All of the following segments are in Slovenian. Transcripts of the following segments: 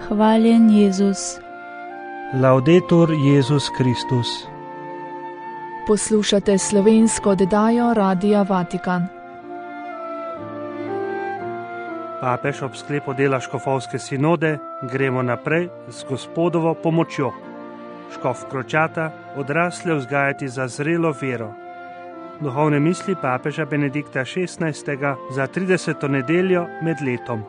Hvaljen Jezus. Laudetur Jezus Kristus. Poslušate slovensko oddajo Radia Vatikan. Papež ob sklepu dela škofovske sinode gremo naprej z Gospodovo pomočjo. Škof Kročata odrasle vzgajati za zrelo vero. Duhovne misli papeža Benedikta XVI za 30. nedeljo med letom.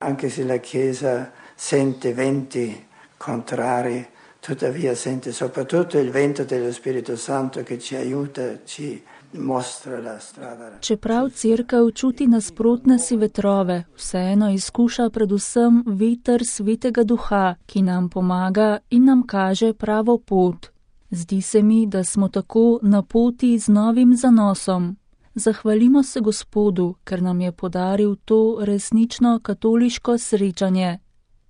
Anche se la Chiesa sente venti contrari, tuttavia sente soprattutto il vento dello Spirito Santo che ci aiuta, ci mostra la strada. Čeprav cerkev čuti nasprotne si vetrove, vseeno izkuša predvsem veter Svetega Duha, ki nam pomaga in nam kaže pravo pot. Zdi se mi, da smo tako na poti z novim zanosom. Zahvalimo se Gospodu, ker nam je podaril to resnično katoliško srečanje.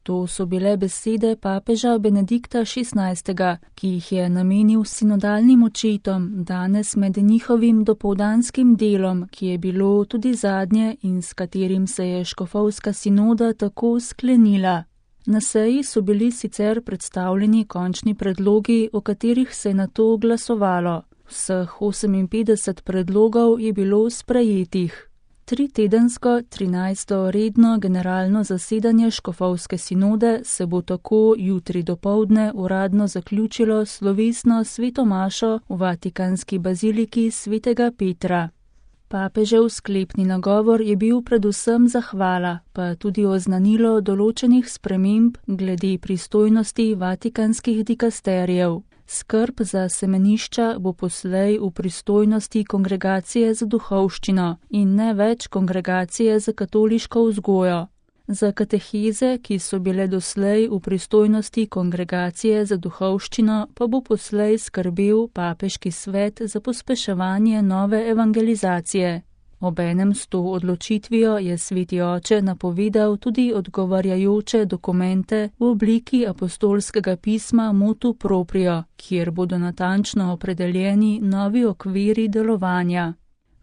To so bile besede papeža Benedikta XVI, ki jih je namenil sinodalnim očetom danes med njihovim dopoldanskim delom, ki je bilo tudi zadnje in s katerim se je škofovska sinoda tako sklenila. Na seji so bili sicer predstavljeni končni predlogi, o katerih se je nato glasovalo. Vseh 58 predlogov je bilo sprejetih. 3-tedensko 13. redno generalno zasedanje škofovske sinode se bo tako jutri dopoldne uradno zaključilo slovesno sveto mašo v vatikanski baziliki svetega Petra. Papežev sklepni nagovor je bil predvsem zahvala, pa tudi oznanilo določenih sprememb glede pristojnosti vatikanskih dikasterijev. Skrb za semenišča bo poslej v pristojnosti kongregacije za duhovščino in ne več kongregacije za katoliško vzgojo. Za kateheze, ki so bile doslej v pristojnosti kongregacije za duhovščino, pa bo poslej skrbel papeški svet za pospeševanje nove evangelizacije. Obenem s to odločitvijo je Sveti Oče napovedal tudi odgovarjajoče dokumente v obliki apostolskega pisma Motu Proprio, kjer bodo natančno opredeljeni novi okviri delovanja.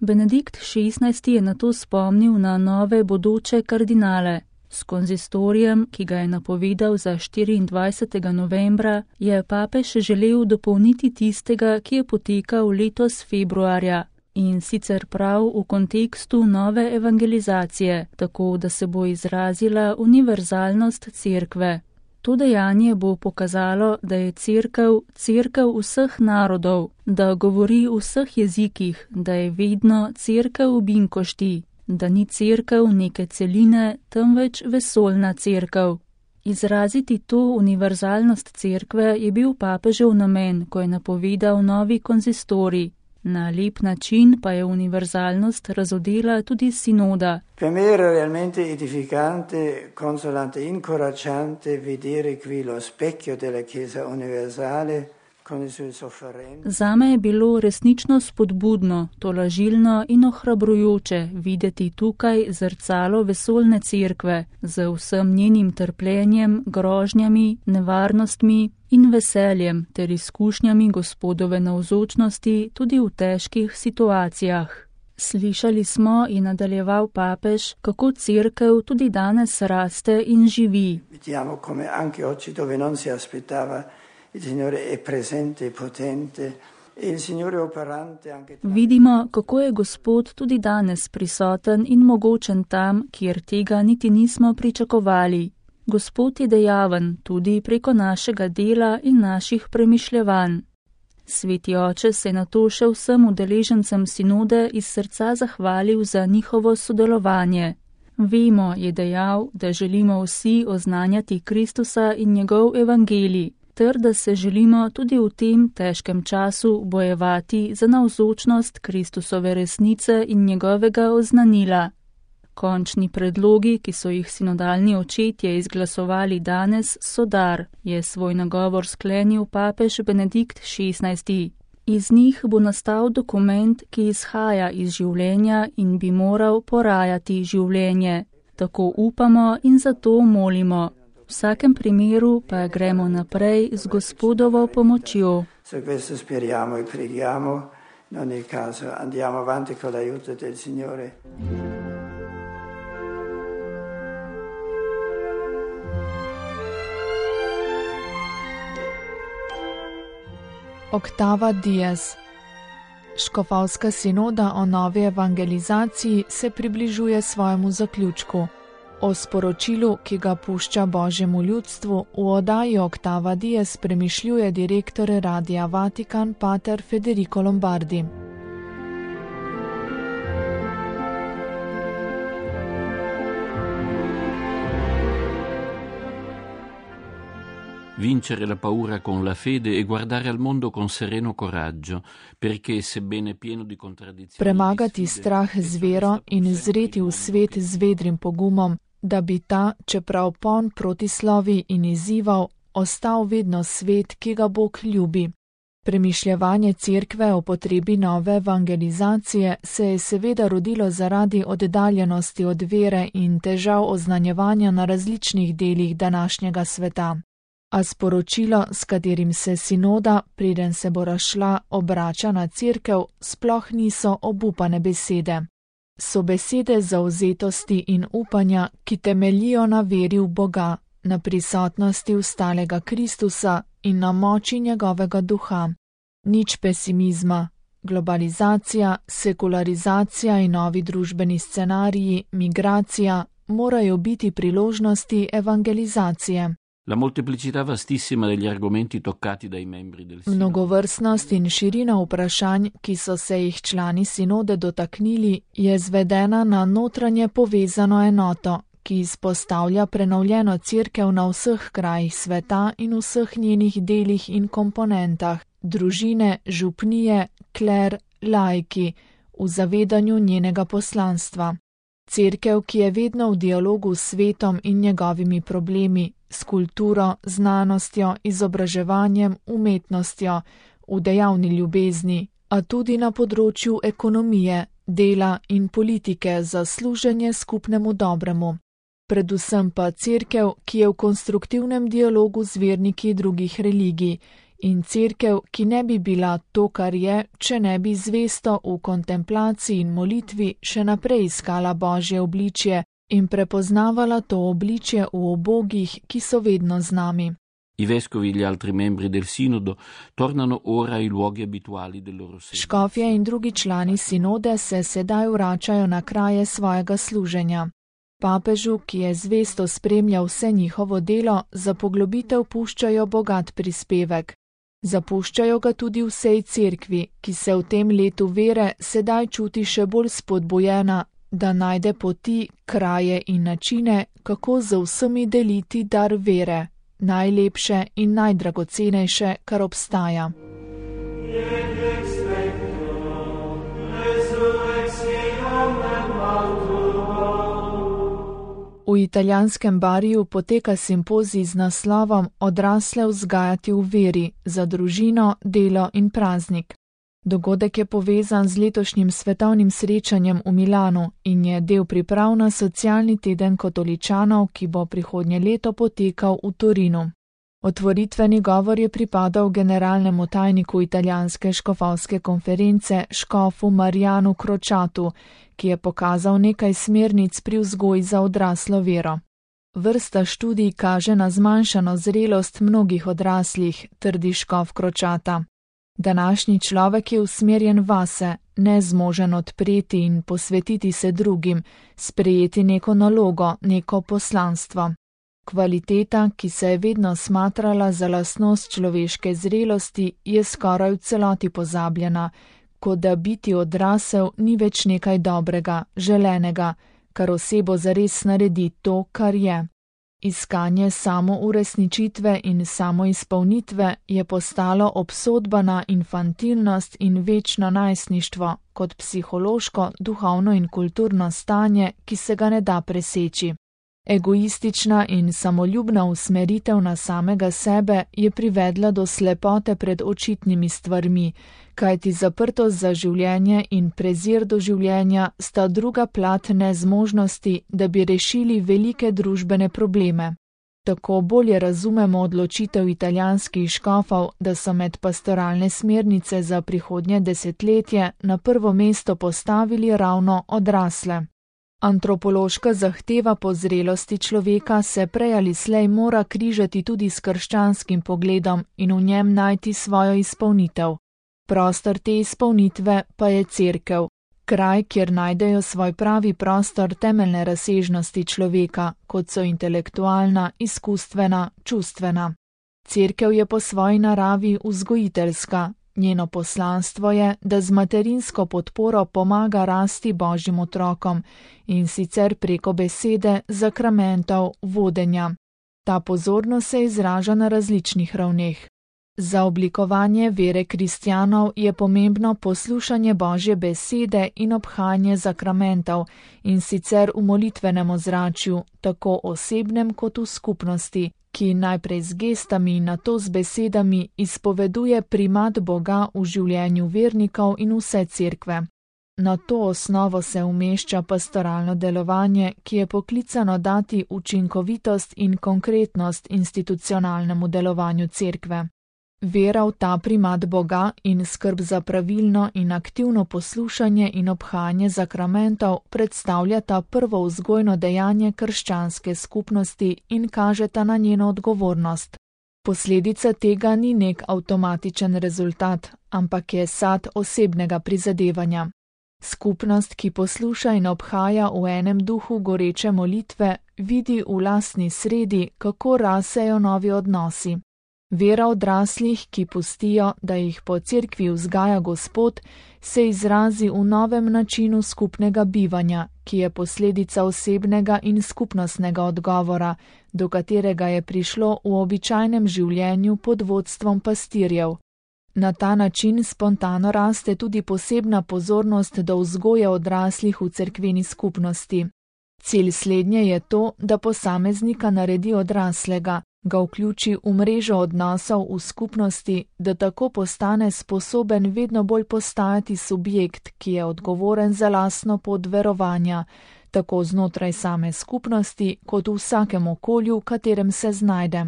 Benedikt XVI je nato spomnil na nove bodoče kardinale. S konzistorijem, ki ga je napovedal za 24. novembra, je papež želel dopolniti tistega, ki je potekal letos februarja. In sicer prav v kontekstu nove evangelizacije, tako da se bo izrazila univerzalnost cerkve. To dejanje bo pokazalo, da je cerkev vseh narodov, da govori v vseh jezikih, da je vedno cerkev v binkošti, da ni cerkev neke celine, temveč vesoljna cerkev. Izraziti to univerzalnost cerkve je bil papežev namen, ko je napovedal novi konzistorij. Na lep način pa je univerzalnost razodela tudi sinoda. Per me era realmente edificante, consolante, incoraggiante vedere qui lo specchio della Chiesa universale con le sue sofferenze. Zame je bilo resnično spodbudno, tolažilno in ohrabrujoče videti tukaj zrcalo vesoljne cerkve z vsem njenim trpljenjem, grožnjami, nevarnostmi in veseljem ter izkušnjami Gospodove navzočnosti tudi v težkih situacijah. Slišali smo, in nadaljeval papež, kako cerkev tudi danes raste in živi. Vediamo come anche oggi dove non si aspettava il Signore è presente e potente e il Signore è operante anche. Vidimo, kako je Gospod tudi danes prisoten in mogočen tam, kjer tega niti nismo pričakovali. Gospod je dejaven tudi preko našega dela in naših premišljevanj. Sveti Oče se je nato še vsem udeležencem sinode iz srca zahvalil za njihovo sodelovanje. Vemo, je dejal, da želimo vsi oznanjati Kristusa in njegov evangelij, ter da se želimo tudi v tem težkem času bojevati za navzočnost Kristusove resnice in njegovega oznanila. Končni predlogi, ki so jih sinodalni očetje izglasovali danes, so dar, je svoj nagovor sklenil papež Benedikt XVI. Iz njih bo nastal dokument, ki izhaja iz življenja in bi moral porajati življenje. Tako upamo in zato molimo. V vsakem primeru pa gremo naprej z Gospodovo pomočjo. Su questo speriamo e preghiamo, in ogni caso andiamo avanti con l'aiuto del Signore. Octava Dies. Škofovska sinoda o novi evangelizaciji se približuje svojemu zaključku. O sporočilu, ki ga pušča Božjemu ljudstvu, v oddaji Octava Dies premišljuje direktor Radia Vatikan pater Federico Lombardi. Vincere la paura con la fede e guardare al mondo con sereno coraggio, perché sebbene pieno di contraddizioni. Premagati strah z vero in zreti v svet z vedrim pogumom, da bi ta, čeprav poln protislovi in izzivov, ostal vedno svet, ki ga Bog ljubi. Premišljevanje cerkve o potrebi nove evangelizacije se je seveda rodilo zaradi oddaljenosti od vere in težav oznanjevanja na različnih delih današnjega sveta. A sporočilo, s katerim se sinoda, preden se bo razšla, obrača na cerkev, sploh niso obupane besede. So besede zavzetosti in upanja, ki temeljijo na veri v Boga, na prisotnosti ustalega Kristusa in na moči njegovega duha. Nič pesimizma. Globalizacija, sekularizacija in novi družbeni scenariji, migracija morajo biti priložnosti evangelizacije. La molteplicità vastissima degli argomenti toccati dai membri del sinodo. Mnogovrstnost in širina vprašanj, ki so se jih člani sinode dotaknili, je zvedena na notranje povezano enoto, ki izpostavlja prenovljeno cerkev na vseh krajih sveta in vseh njenih delih in komponentah, družine, župnije, kler, laiki, v zavedanju njenega poslanstva. Cerkev, ki je vedno v dialogu s svetom in njegovimi problemi, s kulturo, znanostjo, izobraževanjem, umetnostjo, v dejavni ljubezni, a tudi na področju ekonomije, dela in politike za služenje skupnemu dobremu. Predvsem pa cerkev, ki je v konstruktivnem dialogu z verniki drugih religij, in cerkev, ki ne bi bila to, kar je, če ne bi zvesto v kontemplaciji in molitvi še naprej iskala Božje obličje in prepoznavala to obličje v ubogih, ki so vedno z nami. I vescovi e gli altri membri del sinodo tornano ora ai luoghi abituali del loro servizio. Škofje in drugi člani sinode se sedaj vračajo na kraje svojega služenja. Papežu, ki je zvesto spremljal vse njihovo delo, za poglobitev puščajo bogat prispevek. Zapuščajo ga tudi vsej cerkvi, ki se v tem letu vere sedaj čuti še bolj spodbujena, da najde poti, kraje in načine, kako z vsemi deliti dar vere, najlepše in najdragocenejše, kar obstaja. V italijanskem Bariju poteka simpozij z naslovom Odrasle vzgajati v veri za družino, delo in praznik. Dogodek je povezan z letošnjim svetovnim srečanjem v Milanu in je del priprav na socialni teden katoličanov, ki bo prihodnje leto potekal v Torinu. Otvoritveni govor je pripadal generalnemu tajniku italijanske škofovske konference škofu Marijanu Crociatu, ki je pokazal nekaj smernic pri vzgoji za odraslo vero. Vrsta študij kaže na zmanjšano zrelost mnogih odraslih, trdi škof Crociata. Današnji človek je usmerjen vase, nezmožen odpreti in posvetiti se drugim, sprejeti neko nalogo, neko poslanstvo. Kvaliteta, ki se je vedno smatrala za lastnost človeške zrelosti, je skoraj v celoti pozabljena, kot da biti odrasel ni več nekaj dobrega, želenega, kar osebo zares naredi to, kar je. Iskanje samouresničitve in samoizpolnitve je postalo obsodba na infantilnost in večno najstništvo kot psihološko, duhovno in kulturno stanje, ki se ga ne da preseči. Egoistična in samoljubna usmeritev na samega sebe je privedla do slepote pred očitnimi stvarmi, kajti zaprtost za življenje in prezir do življenja sta druga plat nezmožnosti, da bi rešili velike družbene probleme. Tako bolje razumemo odločitev italijanskih škofov, da so med pastoralne smernice za prihodnje desetletje na prvo mesto postavili ravno odrasle. Antropološka zahteva po zrelosti človeka se prej ali slej mora križati tudi s krščanskim pogledom in v njem najti svojo izpolnitev. Prostor te izpolnitve pa je cerkev, kraj, kjer najdejo svoj pravi prostor temeljne razsežnosti človeka, kot so intelektualna, izkustvena, čustvena. Cerkev je po svoji naravi vzgojiteljska. Njeno poslanstvo je, da z materinsko podporo pomaga rasti Božjim otrokom in sicer preko besede, zakramentov, vodenja. Ta pozornost se izraža na različnih ravneh. Za oblikovanje vere kristjanov je pomembno poslušanje Božje besede in obhajanje zakramentov in sicer v molitvenem ozračju, tako osebnem kot v skupnosti, ki najprej z gestami in nato z besedami izpoveduje primat Boga v življenju vernikov in vse cerkve. Na to osnovo se umešča pastoralno delovanje, ki je poklicano dati učinkovitost in konkretnost institucionalnemu delovanju cerkve. Vera v ta primat Boga in skrb za pravilno in aktivno poslušanje in obhajanje zakramentov predstavljata prvo vzgojno dejanje krščanske skupnosti in kažeta na njeno odgovornost. Posledica tega ni nek avtomatičen rezultat, ampak je sad osebnega prizadevanja. Skupnost, ki posluša in obhaja v enem duhu goreče molitve, vidi v lastni sredi, kako rasejo novi odnosi. Vera odraslih, ki pustijo, da jih po cerkvi vzgaja Gospod, se izrazi v novem načinu skupnega bivanja, ki je posledica osebnega in skupnostnega odgovora, do katerega je prišlo v običajnem življenju pod vodstvom pastirjev. Na ta način spontano raste tudi posebna pozornost do vzgoje odraslih v cerkveni skupnosti. Cilj slednje je to, da posameznika naredi odraslega, ga vključi v mrežo odnosov v skupnosti, da tako postane sposoben vedno bolj postajati subjekt, ki je odgovoren za lastno pot verovanja, tako znotraj same skupnosti, kot v vsakem okolju, v katerem se znajde.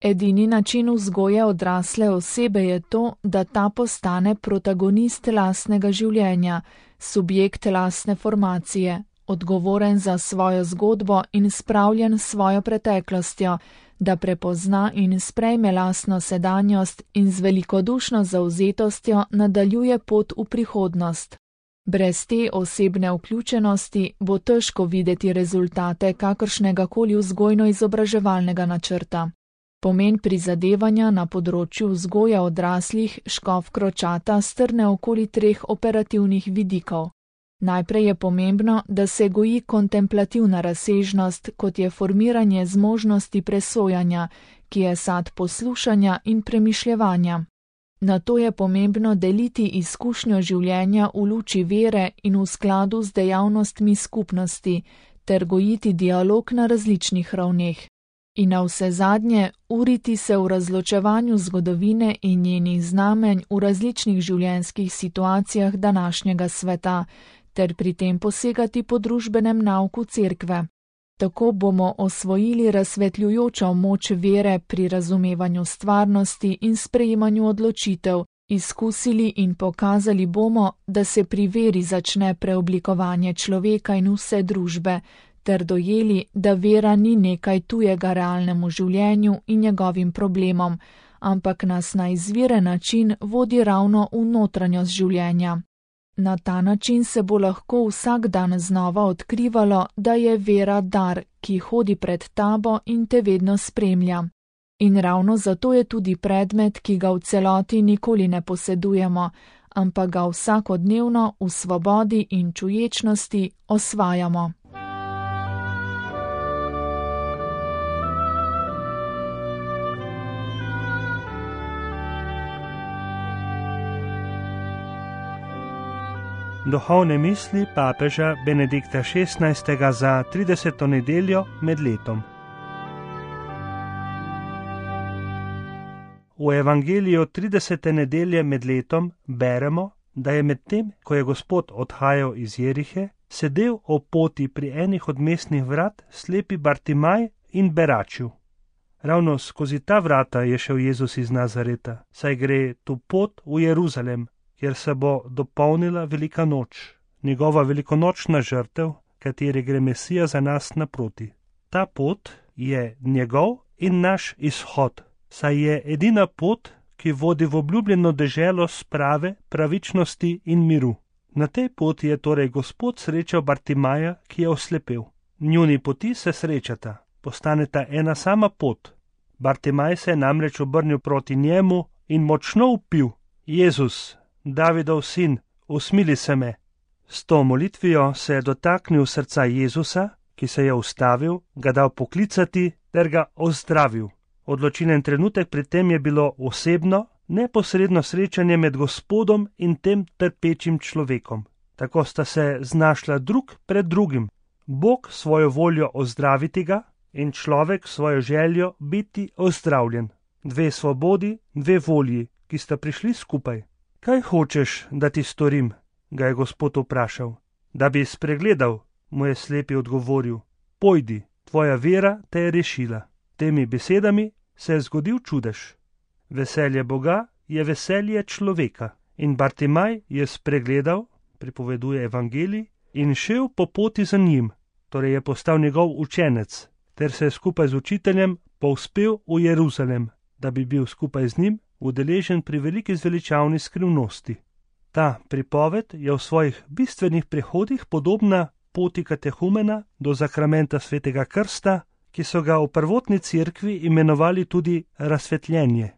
Edini način vzgoje odrasle osebe je to, da ta postane protagonist lastnega življenja, subjekt lastne formacije, odgovoren za svojo zgodbo in spravljen s svojo preteklostjo, da prepozna in sprejme lastno sedanjost in z velikodušno zavzetostjo nadaljuje pot v prihodnost. Brez te osebne vključenosti bo težko videti rezultate kakršnega koli vzgojno-izobraževalnega načrta. Pomen prizadevanja na področju vzgoje odraslih škof Kročata strne okoli 3 operativnih vidikov. Najprej je pomembno, da se goji kontemplativna razsežnost, kot je formiranje zmožnosti presojanja, ki je sad poslušanja in premišljevanja. Nato je pomembno deliti izkušnjo življenja v luči vere in v skladu z dejavnostmi skupnosti, ter gojiti dialog na različnih ravneh. In navsezadnje uriti se v razločevanju zgodovine in njenih znamenj v različnih življenjskih situacijah današnjega sveta, ter pri tem posegati po družbenem nauku cerkve. Tako bomo osvojili razsvetljujočo moč vere pri razumevanju stvarnosti in sprejemanju odločitev, izkusili in pokazali bomo, da se pri veri začne preoblikovanje človeka in vse družbe, ter dojeli, da vera ni nekaj tujega realnemu življenju in njegovim problemom, ampak nas na izviren način vodi ravno v notranjost življenja. Na ta način se bo lahko vsak dan znova odkrivalo, da je vera dar, ki hodi pred tabo in te vedno spremlja. In ravno zato je tudi predmet, ki ga v celoti nikoli ne posedujemo, ampak ga vsakodnevno v svobodi in čuječnosti osvajamo. Duhovne misli papeža Benedikta XVI. Za 30. nedeljo med letom. V evangeliju 30. nedelje med letom beremo, da je medtem, ko je Gospod odhajal iz Jerihe, sedel ob poti pri enih od mestnih vrat slepi Bartimaj in beračil. Ravno skozi ta vrata je šel Jezus iz Nazareta, saj gre tu pot v Jeruzalem, kjer se bo dopolnila velika noč, njegova velikonočna žrtev, kateri gre Mesija za nas naproti. Ta pot je njegov in naš izhod, saj je edina pot, ki vodi v obljubljeno deželo sprave, pravičnosti in miru. Na tej poti je torej Gospod srečal Bartimaja, ki je oslepel. Njuni poti se srečata, postaneta ena sama pot. Bartimaj se je namreč obrnil proti njemu in močno vpil: Jezus, Davidov sin, usmili se me. S to molitvijo se je dotaknil srca Jezusa, ki se je ustavil, ga dal poklicati ter ga ozdravil. Odločilen trenutek pri tem je bilo osebno, neposredno srečanje med Gospodom in tem trpečim človekom. Tako sta se znašla drug pred drugim. Bog svojo voljo ozdraviti ga in človek svojo željo biti ozdravljen. Dve svobodi, dve volji, ki sta prišli skupaj. Kaj hočeš, da ti storim? Ga je Gospod vprašal. Da bi spregledal, mu je slepi odgovoril. Pojdi, tvoja vera te je rešila. Temi besedami se je zgodil čudež. Veselje Boga je veselje človeka. In Bartimaj je spregledal, pripoveduje evangelij, in šel po poti za njim, torej je postal njegov učenec, ter se je skupaj z učiteljem povzpel v Jeruzalem, da bi bil skupaj z njim udeležen pri veliki zveličavni skrivnosti. Ta pripoved je v svojih bistvenih prehodih podobna poti katehumena do zakramenta svetega krsta, ki so ga v prvotni cerkvi imenovali tudi razsvetljenje.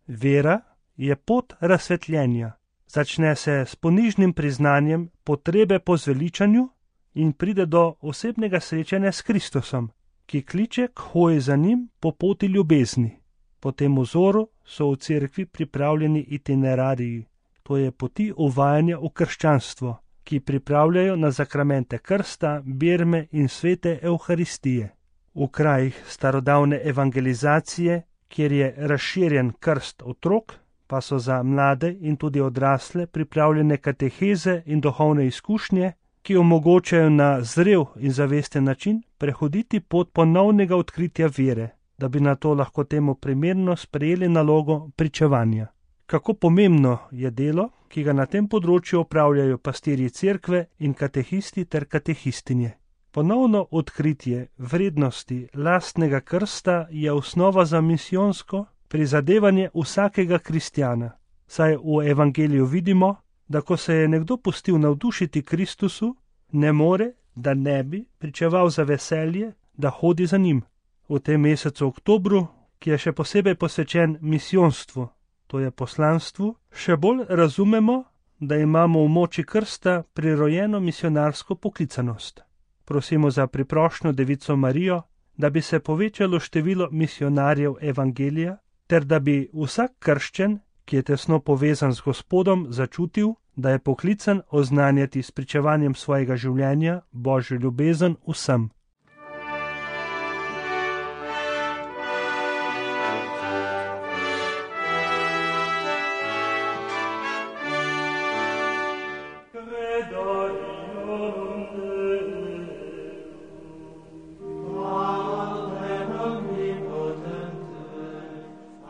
Vera je pot razsvetljenja. Začne se s ponižnim priznanjem potrebe po zveličanju in pride do osebnega srečanja s Kristusom, ki kliče k hoji za njim po poti ljubezni. Po tem vzoru so v cerkvi pripravljeni itinerariji, to je poti uvajanja v krščanstvo, ki pripravljajo na zakramente krsta, birme in svete Evharistije. V krajih starodavne evangelizacije, kjer je razširjen krst otrok, pa so za mlade in tudi odrasle pripravljene kateheze in duhovne izkušnje, ki omogočajo na zrel in zavesten način prehoditi pot ponovnega odkritja vere, da bi na to lahko temu primerno sprejeli nalogo pričevanja. Kako pomembno je delo, ki ga na tem področju opravljajo pastirji cerkve in katehisti ter katehistinje. Ponovno odkritje vrednosti lastnega krsta je osnova za misijonsko prizadevanje vsakega kristjana, saj v evangeliju vidimo, da ko se je nekdo pustil navdušiti Kristusu, ne more, da ne bi pričeval za veselje, da hodi za njim. V tem mesecu oktobru, ki je še posebej posvečen misijonstvu, to je poslanstvu, še bolj razumemo, da imamo v moči krsta prirojeno misionarsko poklicanost. Prosimo za priprošnjo Devico Marijo, da bi se povečalo število misionarjev evangelija, ter da bi vsak krščen, ki je tesno povezan z Gospodom, začutil, da je poklican oznanjati s pričevanjem svojega življenja Božjo ljubezen vsem.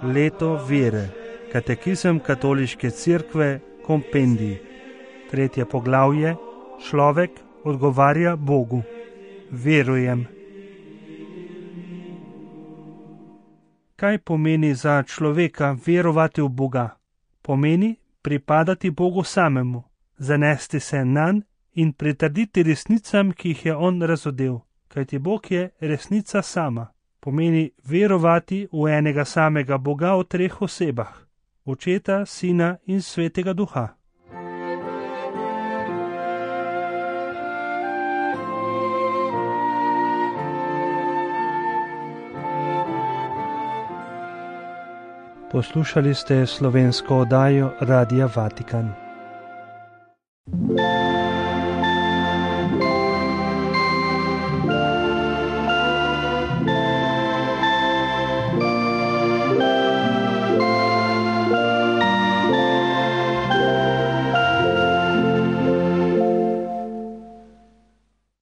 Leto vere, katekizem katoliške cerkve, kompendij. 3. poglavje, človek odgovarja Bogu. Verujem. Kaj pomeni za človeka verovati v Boga? Pomeni pripadati Bogu samemu, zanesti se nanj in pritrditi resnicam, ki jih je on razodel, kajti Bog je resnica sama. Pomeni verovati v enega samega Boga v 3 osebah, Očeta, Sina in Svetega Duha. Poslušali ste slovensko oddajo Radia Vatikan.